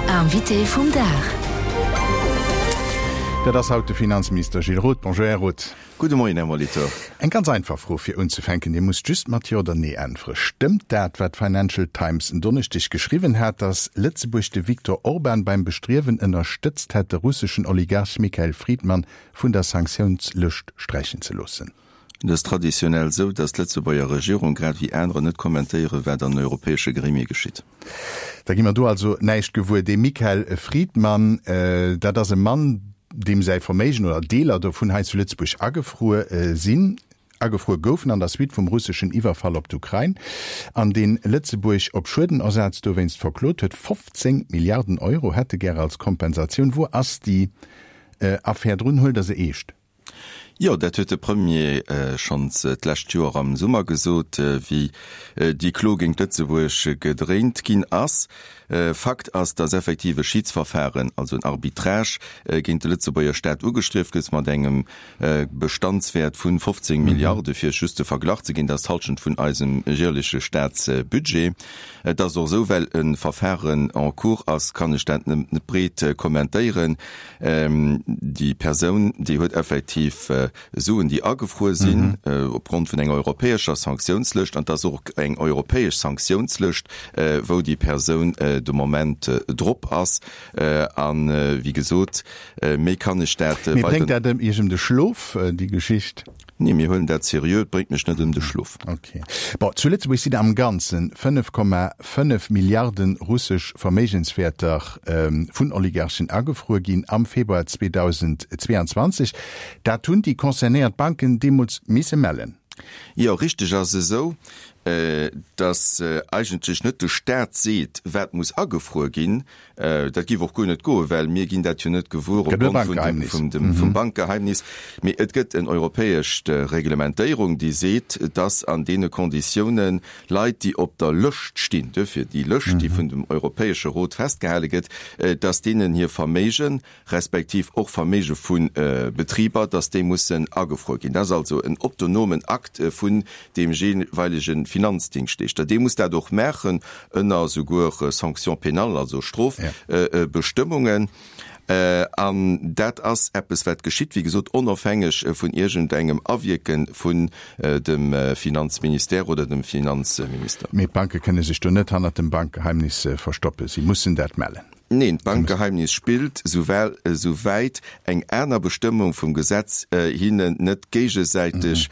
Invité vum Dag. Dat ass haut de Finanzminister Gilles Roth. Bonjour, Här Roth. Gudde Moien, Här Molitor. Eng ganz einfach Fro fir unzefänken, Dir musst just mat Jo oder Nee äntwere. Stëmmt dat, wat d'Financial Times en Donneschdeg geschriwwen hat, datt Lëtzebuerg de Viktor Orban beim Bestriewen ënnerstëtzt hätt, de russeschen Oligarch Mikhail Fridman vun der Sanktiounslëscht sträichen ze loossen? Et ass traditionell esou, datt d'Lëtzebuerger Regierung, grad ewéi anerer, net kommentéieren, wat an europäesche Gremie geschitt. Da gi mer do also näischt gewuer. Dee Mikhail Fridman, dat ass e Mann, deem säi Verméigen oder Deeler dovun hei zu Lëtzebuerg agefruer sinn, agefruer goufen an der Suite vum russeschen Iwwerfall op d'Ukrain, an deen Lëtzebuerg op Schuedenersaz dowéinst verklot huet. 15 Milliarden Euro hätt e gär als Kompensatioun. Wou ass déi Affär drun? Huelt Der se eescht? Jo, dat huet de Premier schonns d'lescht Joer am Summer gesot, wéi déi Klo géint Lëtzebuerg gedréint ginn ass. Fakt ass, datt effektiv e Schidsverfahren, also en Arbitrage, géint de Lëtzebuerger Staat ugestrieft gëtt mat engem Bestandswäert vu 15 Milliarde, fir Iech just de Verglach ze ginn, dat ass d'Hallschent vun eisem jäerleche Staatsbudget. Et ass och esou, well e Verfahren en cours ass, kann ech dat net breet kommentéieren. Déi Persoun, déi huet effektiv Suen, déi agefruer sinn opgrond vun enger europäescher Sanktiounslëscht, an et ass och eng europäesch Sanktiounslëscht, wou déi Persoun de Moment drop ass. A wéi gesot, méi kann ech dat weider. Mee bréngt dat Iech ëm de Schlof, déi Geschicht? Nee, mir huelen dat seriö. Et bréngt mech net ëm de Schlof. Ok. Bon, zu Lëtzebuerg sinn am Ganze 5,5 Milliarde russesch Verméigenswäerter vun Oligarchen agefruer ginn am Februar 2022. Dat hunn déi concernéiert Banken deemools misse mellen. Jo, richteg ass esou, datt eigentlech net de Staat seet, wat muss agefruer ginn, Dat géif och guer net goen, well mir ginn dat jo net gewuer opgrond vun dem vum Bankgeheimnis. Mee et gëtt en europäesch Reglementéierung, déi seet, dass an deene Konditiounen Leit, déi op der Lëscht stinn, duerfir déi Lëscht, déi vun dem Europäesche Rot festgehale gëtt, dass deenen hir Verméigen, respektiv och Verméige vu Betriber, dass déi mussen agefruer ginn. Dat ass also en autonomen Akt vun deem jeeweilege Finanzdingschtleeschter. Dee muss dat och maachen ënner souguer Sanctions pénales, also Strofbestëmmungen. An dat ass eppes, wat geschitt, wéi gesot, onofhängeg vun iergendengem Awierke vun dem Finanzministère oder dem Finanzminister. Mee d'Banke kënne sech do net hannert dem Bankgeheimnis verstoppen. Si mussen dat mellen. Neen, d'Bankgeheimnis spillt, souwäit eng aner Bestëmmung vum Gesetz hinnen net géigesäiteg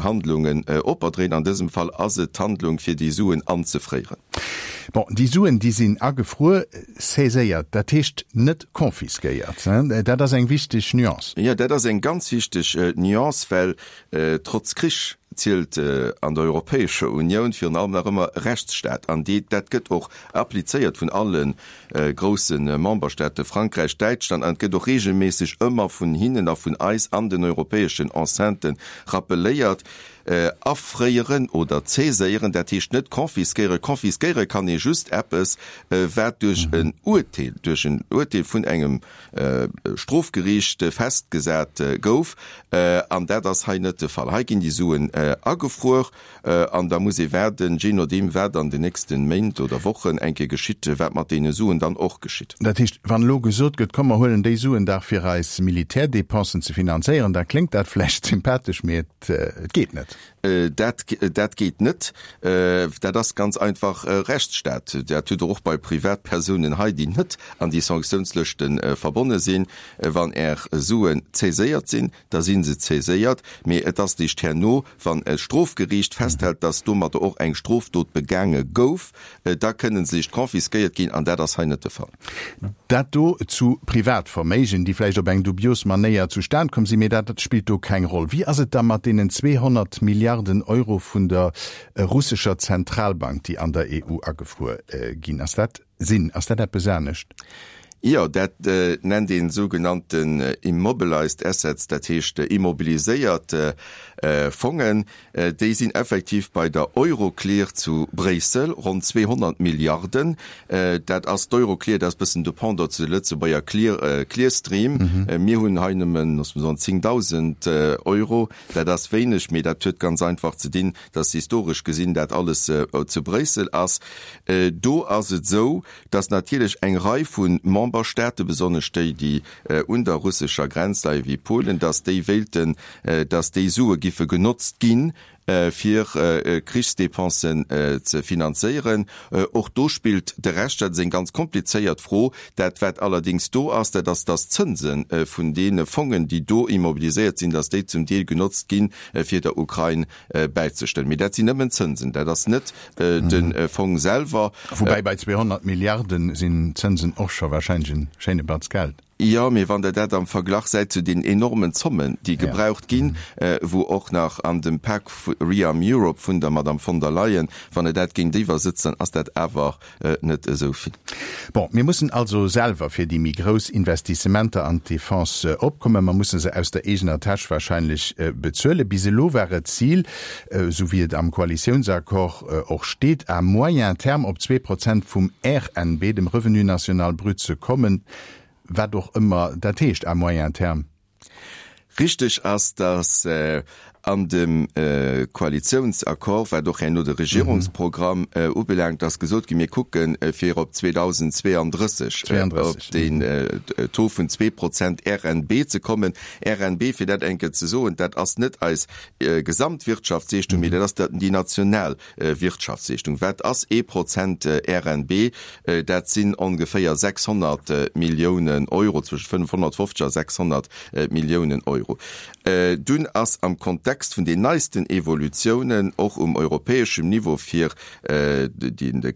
Handlungen operdréit. An dësem Fall ass et d'Handlung, fir déi Suen anzefréieren. Bon, déi Suen, déi sinn agefruer, saiséiert, dat heescht net confisquéiert. Dat ass eng wichteg Nuance. Jo, dat ass eng ganz wichteg Nuance, well trotz Krich zielt an der Europäescher Unioun virun allem nach ëmmer Rechtsstaat an déi, dat gëtt och applizéiert vun alle grousse Memberstaate, Frankräich, Däitschland, an et gëtt och regelméisseg ëmmer vun hinnen a vun eis an den europäeschen Enceinten rappeléiert, afréieren oder saiséieren, dat heescht net confisquéieren. Confisquéiere kann ee just eppes, wat duerch en Uerteel, duerch en Uerteel vun engem Strofgeriicht festgesat gouf, an dat ass hei net de Fall. Hei ginn déi Suen agefruer. An da muss ee waarden, jee nodeem wat an den nächste Méint oder Wochen eng Kéier geschitt, wat mat deene Suen dann och geschitt. Dat heescht, wann elo gesot gëtt, komm mer huelen déi Suen dach fir eis Militärdépensen ze finanzéieren, da kléngt dat vläicht sympathesch, mee et geet net. Dat, dat geet net. Dat ass ganz einfach Rechtsstaat. Dat hutt Der och bei Privatpersounen hei, déi net an déi Sanktiounslëschte verbonne sinn. Wann Är Suen saiséiert sinn, da si se saiséiert, mee et ass eréischt herno, wann e Strofgeriicht festhält, dass domadder och eng Strofdot begaange gouf, da kënne se eréischt confisquéiert ginn, an dat ass hei net de Fall. Dat do zu Privatverméigen, déi vläicht op eng dubios Manéier zustan komm sinn, mee dat spillt do keng Roll. Wéi ass et da mat deenen 200 Milliarden Euro vun der russescher Zentralbank, déi an der EU agefruer ginn? Ass dat Sinn. Ass dat eppes anescht? Jo, dat nennt een sougenannten immobilized assets, dat heescht immobiliséiert. Fongen. Déi sinn effektiv bei der Euroclear zu Bréissel, ronn 200 Milliarden. Dat ass d'Euroclear, dat ass e bëssen de Pendant zu de Lëtzebuerger Clear, Clearstream. Mir hunn hei nëmmen, loosse mer soen, 10.000 Euro. Dat ass wéineg, mee dat huet ganz einfach ze dinn, dass historesch gesinn dat alles zu Bréissel ass. Do ass et esou, dass natierlech eng Rei vu Memberstaate, besonnesch déi, déi un der russescher Grenz leien, wéi Polen, dass déi wéilten, dass déi Sue giffe genotzt ginn, fir Krichsdepensen ze finanzéieren. Och do spillt de Recht, dat ass eng ganz komplizéiert Fro. Dat, wat allerdéngs do ass, dat ass, dass d'Zënse vun deene Fongen, déi do immobiliséiert sinn, dass déi zum Deel genotzt ginn, fir der Ukrain bäizestëmmen. Mee dat sinn nëmmen d'Zënsen, dat ass net de Fong selwer. Woubäi bei 200 Milliarde sinn d'Zënsen och scho warscheinlech e schéine Batz Geld. Jo, mee wann Der dat am Verglach säit zu den enormen Zommen, déi gebraucht ginn, wou och nach an dem Pak Rearm Europe vun der Madame von der Leyen, wann Der dat géintiwwer sëtzt, dann ass dat awer net esou vill. Bon, mir mussen also selwer fir déi méi grouss Investissementer an d'Defense opkommen. Mer musse se aus der eegener Täsch wahrscheinlech bezuelen. Bis elo war et d'Zil, esou wéi et am Koalitiounsaccord och steet, à moyen terme op 2% vum RNB, dem Revenu national brut, ze kommen, wat och ëmmer dat heescht, à moyen terme. Richteg ass, datt an dem Koalitiounsaccord, wat och herno de Regierungsprogramm ubelaangt, ass gesot ginn, mir kucke fir op 2032 op deen Taux vun 2% RNB ze kommen. RNB, fir dat eng Kéier ze soen, dat ass net eis Gesamtwirtschaftsleeschtung, mee dat ass déi national Wirtschaftsleeschtung. Wat ass ee Prozent RNB? Dat sinn ongeféier 600 Milliounen Euro, zwëschen 550 a 600 Milliounen Euro. Dunn ass am Kontext vun den neisten Evolutiounen och um europäeschem Niveau fir de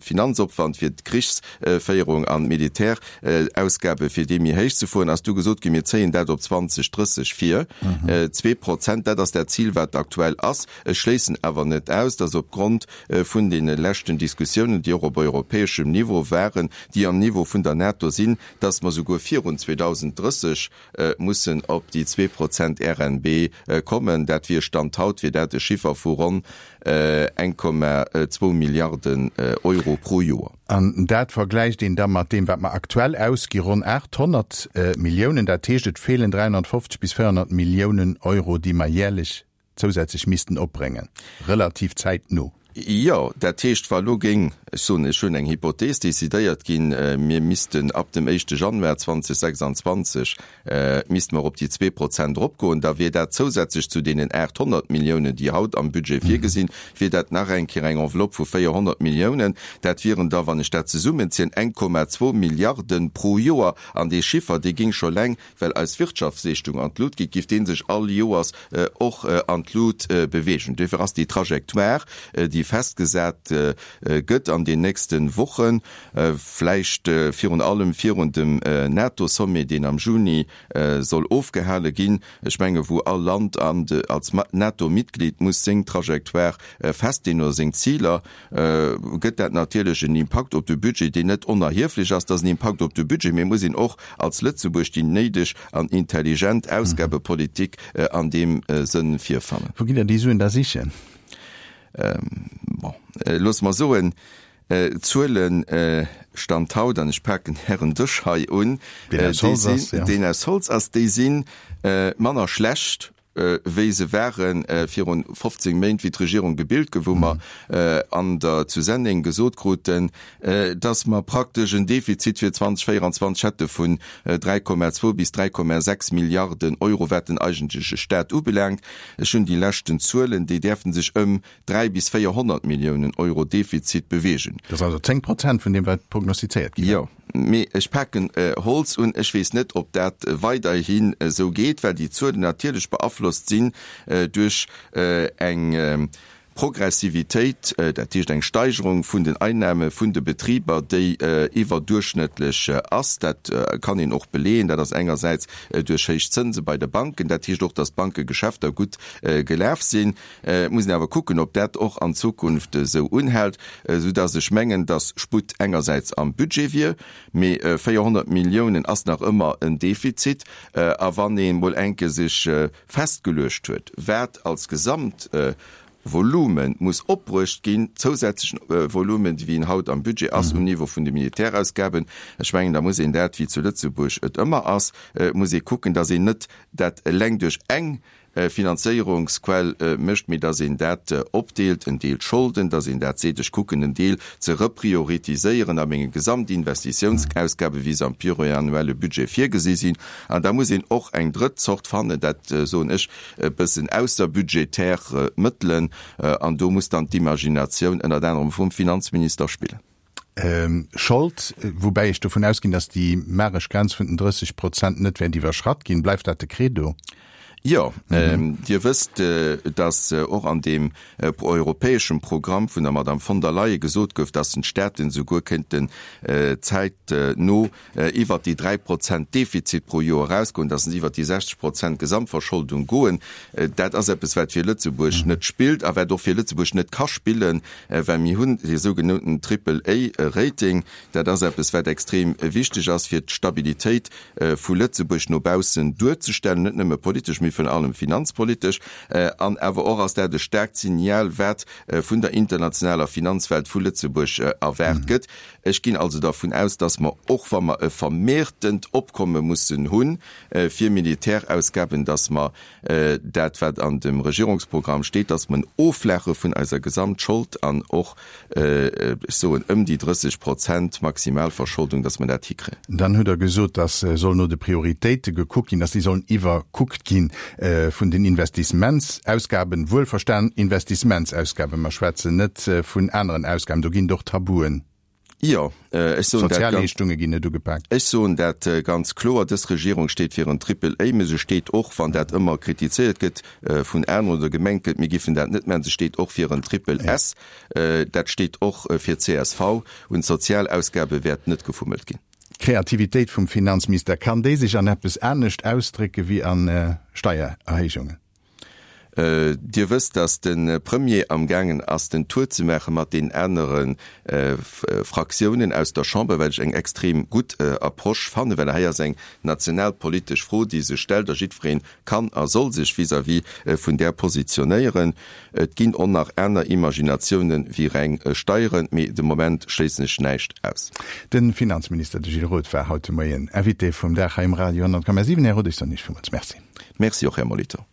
Finanzopwand fir d'Krichsféierung an d'Militärausgabe fir déi méi héich ze fueren, ass du gesot ginn, mir zéien dat op 2030 vir, 2%, dat ass dat Zil wat aktuell ass. Ech schléissen awer net aus, dass opgrond vun deene leschten Diskussiounen, déi och op europäeschem Niveau waren, déi am Niveau vun der NATO sinn, dass mer souguer virun 2030 mussen op déi 2% RNB kommen. Dat wier, Stand haut, wier dat e Chiffer vu ronn 1,2 Milliarden Euro pro Joer. An dat vergläicht een da mat deem, wat mer aktuell ausgi, ronn 800 Milliounen. Dat heescht, et feelen 350 bis 400 Milliounen Euro, déi mer jäerlech zousätzlech missten opbréngen, relativ zäitno. Jo, dat heescht, wa lo géing, ech soen, ech hunn eng Hypothees, decidéiert ginn, mir missten ab dem éischte Januar 2026 misste mer op déi 2% eropgoen, da wier dat zousätzlech zu deenen 800 Milliounen, déi haut am Budget virgesinn, wier dat nach eng Kéier eng Enveloppe vu 400 Milliounen. Dat wieren da, wann ech dat zesummenzien, 1,2 Milliarden pro Joer. An dee Chiffer, dee géing scho eleng Well eis Wirtschaftsleeschtung an d'Lut geet, giff dee sech all Joers och an d'Lut beweegen. Duerfir ass déi Trajectoire, déi festgesat gëtt an den nächste Wochen, vläicht virun allem virun dem NATO-Sommet, deen am Juni soll ofgehale ginn, ech menge wou all Land als NATO-Mitglied muss seng Trajectoire festleeën oder seng Ziler, gëtt dat natierlech en Impakt op de Budget, deen net onerhieflech ass. Dat ass en Impakt op de Budget, mee et muss een och als Lëtzebuerg déi néideg an intelligent Ausgabepolitik an deem Sënn virfannen. Wou gitt Der déi Suen da sichen? Bon, loosse mer soen, d'Zuele Stand haut, an ech paken Ären Dësch hei un, deen aus Holz ass, deen aus Holz ass, déi si manner schlecht wéi se ware virun 15 Méint, wéi d'Regierung gebilt gouf, wou mer an der zu Senneng gesot kruten, dass mer praktesch en Defizit fir 2024 hätte vun 3,2 bis 3,6 Milliarden Euro, wat den eigentleche Stat ubelaangt. Ech hunn déi leschten Zuelen, déi däerften sech ëm 3 bis 400 Milliounen Euro Defizit beweegen. Dat ass also 10 Prozent vun deem, wat prognostizéiert gi war. Jo, mee ech paken Holz un. Ech weess net, ob dat weiderhin esou geet, well déi Zuelen natierlech beaflosst sinn duerch eng. Progressivitéit, dat heescht eng Steigerung vun den Einnahme vun de Betriber, déi iwwerduerchschnëttlech ass. Dat kann een och beleeën. Dat ass engersäits duerch héich Zënse bei de Banken. Dat heescht och, datt d'Bankegeschäfter gutt gelaf sinn. Et muss een awer kucken, ob dat och an Zukunft esou unhält, soudatt ech mengen, datt Sputt engersäits am Budget wier, mee 400 Milliounen ass nach ëmmer en Defizit. A wann ee mol enke sech festgeluecht huet, wat als Gesamtvolume muss opbruecht ginn, zousätzlechen Volumen, wéi en haut am Budget ass um Niveau vun de Militärausgaben, ech mengen, da muss een dat, wéi zu Lëtzebuerg et ëmmer ass, muss ee kucken, datt een net dat eleng duerch eng Finanzéierungsquell mécht, mee datt een dat opdeelt, en Deel Scholden, datt een dat seet, ech kucken en Deel ze reprioritiséieren a menge Gesamtinvestitiounsausgaben, wéi se am pluriannuelle Budget virgesi sinn. An da muss een och eng drëtt Zort fannen, dat soen ech, e bëssen ausserbudgetär Mëttelen. An do muss dann d'Imaginatioun ënnert anerem vum Finanzminister spillen. Schold, woubäi ech dovun ausginn, datt déi magesch Grenz vun den 30 Prozent net wäert iwwerschratt ginn. Bleift dat de Credo? Jo, Dir wësst, datt och an deem europäeschem Programm vun der Madame von der Leyen gesot gouf, datt den d'Staaten esouguer kéinten zäitno iwwert déi 3 Prozent Defizit pro Joer erausgoen, datt se iwwert déi 60 Prozent Gesamtverscholdung goen. Dat ass eppes, wat fir Lëtzebuerg net spillt a wat och fir Lëtzebuerg net ka spillen, well mir hunn dee sougenannten Triple-A-Rating. Dat ass eppes, wat extrem wichteg ass, fir d'Stabilitéit vu Lëtzebuerg no baussen duerzestellen, net nëmme politesch, mee virun allem finanzpolitesch. An awer och ass dat e staarkt Signal, wat vun der internationaler Finanzwelt vu Lëtzebuerg erwaart gëtt. Ech ginn also dervun aus, dass mer, och wa mer e vermehrtent Opkomme mussen hu fir Militärausgaben, dass mer dat, wat an dem Regierungsprogramm steet, dass mer en Offlaache vun eiser Gesamtschold an och, ech soen, ëm déi 30 Prozent Maximalverscholdung, dass mer dat hikréien. Dann hutt Der gesot, dass soll no de Prioritéite gekuckt ginn, dass déi sollen iwwerkuckt gi vun den Investissementsausgaben, wuelverstan Investissementsausgaben, mer schwätzen net vun aneren Ausgaben, do ginn et och Tabuen. Jo, ech soen dat ganz. Sozialleeschtunge ginn net ugepaakt. Ech soen dat ganz kloer, Dës Regierung steet fir en Triple A, mä se steet och, wann dat ëmmer kritizéiert gëtt vun aneren oder gemengt gëtt, mir giffen dat net maachen, se steet och fir en Triple S. Dat steet och fir csv. Un d'Sozialausgabe wäert net gefummelt ginn. D'Kreativitéit vum Finanzminister, kann déi sech an eppes anescht ausdrécke wéi a Steiererhéijungen? Dir wësst, datt de Premier amgaangen ass, den Tour ze maache mat den anere Fraktiounen aus der Chamber, wat ech eng extrem gutt Approche fannen, well hei ass eng nationalpolitesch Fro, déi sech stellt, a jiddweree kann a soll sech vis-à-vis vun där positionéieren. Et ginn och nach aner Imaginatiounen wéi reng Steieren, mee de Moment schléissen ech näischt aus. De Finanzminister, de Gilles Roth, war haut de Moien Invité vum Dag hei um Radio 10,7. Här Roth, ech soen Iech villmools Merci. Merci och, Här Molitor.